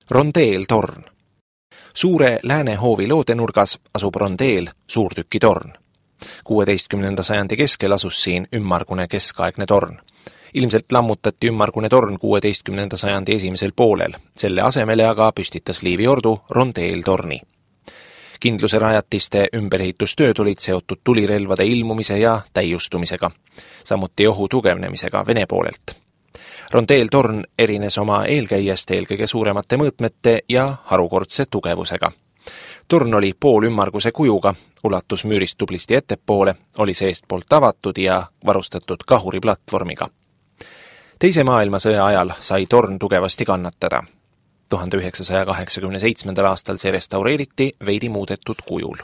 Rondeeltorn. Suure Läänehoovi loodenurgas asub rondeel, suurtükitorn. 16. sajandi keskel asus siin ümmargune keskaegne torn. Ilmselt lammutati ümmargune torn 16. sajandi esimesel poolel, selle asemele aga püstitas Liivi ordu rondeeltorni. Kindluse rajatiste ümberehitustööd olid seotud tulirelvade ilmumise ja täiustumisega, samuti ohu tugevnemisega Vene poolelt. Rondeeltorn erines oma eelkäijast eelkõige suuremate mõõtmete ja harukordse tugevusega. Torn oli poolümmarguse kujuga, ulatus müürist tublisti ettepoole, oli seestpoolt avatud ja varustatud kahuriplatvormiga. Teise maailmasõja ajal sai torn tugevasti kannatada. 1987. aastal see restaureeriti veidi muudetud kujul.